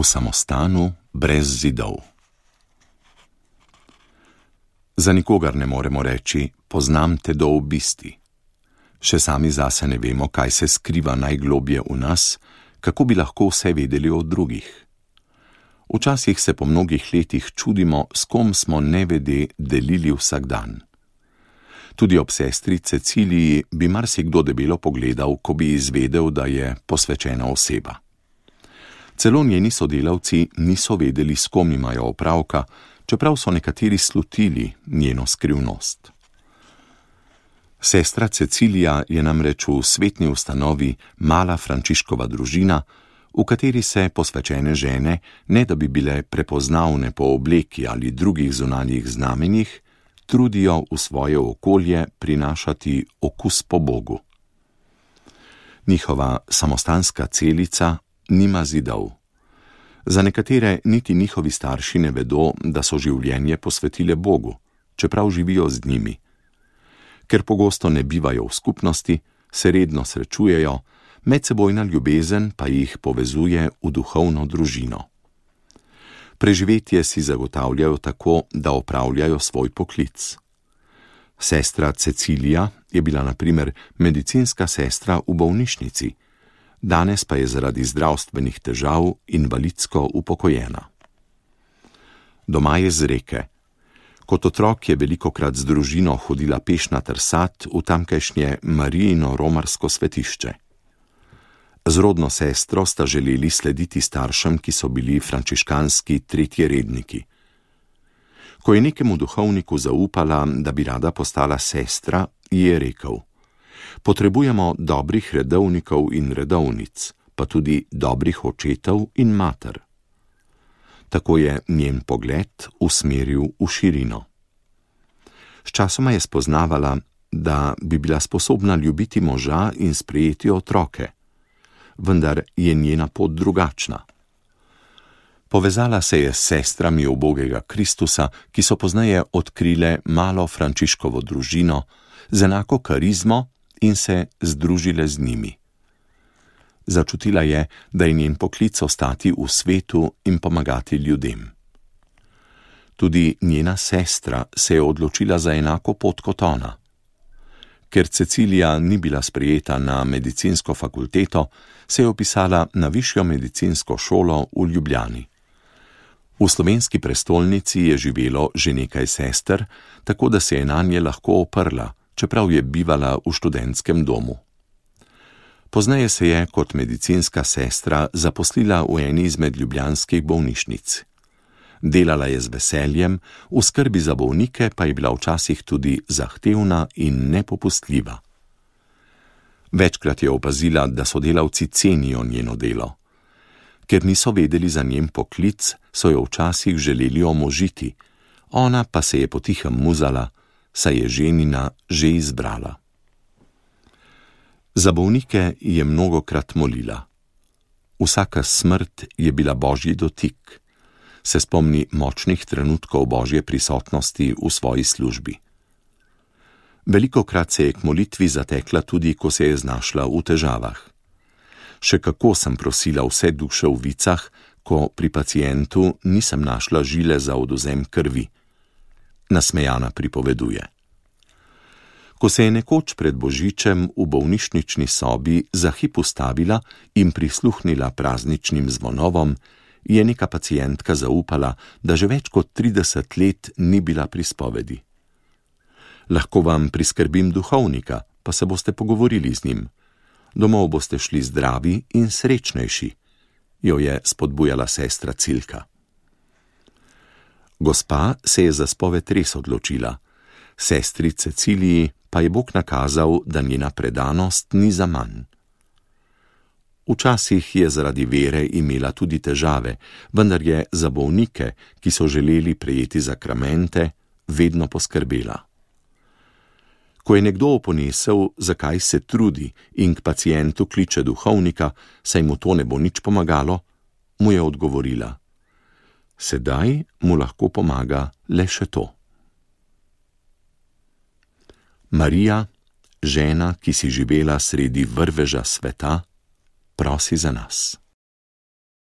samostanu brez zidov. Za nikogar ne moremo reči, poznam te do obisti. Še sami zase ne vemo, kaj se skriva najglobje v nas, kako bi lahko vse vedeli o drugih. Včasih se po mnogih letih čudimo, s kom smo nevede delili vsak dan. Tudi ob sestri Ceciliji bi marsikdo debelo pogledal, ko bi izvedel, da je posvečena oseba. Celo njeni sodelavci niso vedeli, s kom imajo opravka, čeprav so nekateri slutili njeno skrivnost. Sestra Cecilija je namreč v svetni ustanovi mala Frančiškova družina, v kateri se posvečene žene, ne da bi bile prepoznavne po obleki ali drugih zunanjih znamenjih, trudijo v svoje okolje prinašati okus po Bogu. Njihova samostanska celica nima zidov. Za nekatere niti njihovi starši ne vedo, da so življenje posvetile Bogu, čeprav živijo z njimi. Ker pogosto ne bivajo v skupnosti, se redno srečujejo, medsebojna ljubezen pa jih povezuje v duhovno družino. Preživetje si zagotavljajo tako, da opravljajo svoj poklic. Sestra Cecilija je bila na primer medicinska sestra v bolnišnici, danes pa je zaradi zdravstvenih težav invalidsko upokojena. Doma je z Reke. Kot otrok je velikokrat z družino hodila peš na Trsat v tamkajšnje Marijino romarsko svetišče. Z rodno sestro sta želeli slediti staršem, ki so bili frančiškanski tretjeredniki. Ko je nekemu duhovniku zaupala, da bi rada postala sestra, ji je rekel: potrebujemo dobrih redovnikov in redovnic, pa tudi dobrih očetov in mater. Tako je njen pogled usmeril v širino. Sčasoma je spoznavala, da bi bila sposobna ljubiti moža in sprejeti otroke, vendar je njena pot drugačna. Povezala se je s sestrami ubogega Kristusa, ki so pozneje odkrile malo Frančiškovo družino z enako karizmo in se združile z njimi. Začutila je, da je njen poklic ostati v svetu in pomagati ljudem. Tudi njena sestra se je odločila za enako pot kot ona. Ker Cecilija ni bila sprejeta na medicinsko fakulteto, se je vpisala na višjo medicinsko šolo v Ljubljani. V slovenski prestolnici je živelo že nekaj sester, tako da se je nanje lahko oprla, čeprav je bivala v študentskem domu. Pozneje se je kot medicinska sestra zaposlila v eni izmed ljubljanskih bolnišnic. Delala je z veseljem, v skrbi za bolnike pa je bila včasih tudi zahtevna in nepopustljiva. Večkrat je opazila, da sodelavci cenijo njeno delo. Ker niso vedeli za njen poklic, so jo včasih želeli omožiti, ona pa se je potihem muzala, saj je ženina že izbrala. Za bolnike je mnogokrat molila. Vsaka smrt je bila božji dotik. Se spomni močnih trenutkov božje prisotnosti v svoji službi. Velikokrat se je k molitvi zatekla tudi, ko se je znašla v težavah. Še kako sem prosila vse duše v vicah, ko pri pacientu nisem našla žile za odvzem krvi. Nasmejana pripoveduje. Ko se je nekoč pred božičem v bolnišnični sobi za hip ustavila in prisluhnila prazničnim zvonovom, je neka pacientka zaupala, da že več kot 30 let ni bila pri spovedi. Lahko vam priskrbim duhovnika, pa se boste pogovorili z njim. Domov boste šli zdravi in srečnejši, jo je spodbujala sestra Cilka. Gospa se je za spoved res odločila. Sestri Ceciliji pa je Bog nakazal, da njena predanost ni zaman. Včasih je zaradi vere imela tudi težave, vendar je za bolnike, ki so želeli prejeti zakramente, vedno poskrbela. Ko je nekdo oponesel, zakaj se trudi in k pacientu kliče duhovnika, saj mu to ne bo nič pomagalo, mu je odgovorila: sedaj mu lahko pomaga le še to. Marija, žena, ki si živela sredi vrveža sveta, prosi za nas.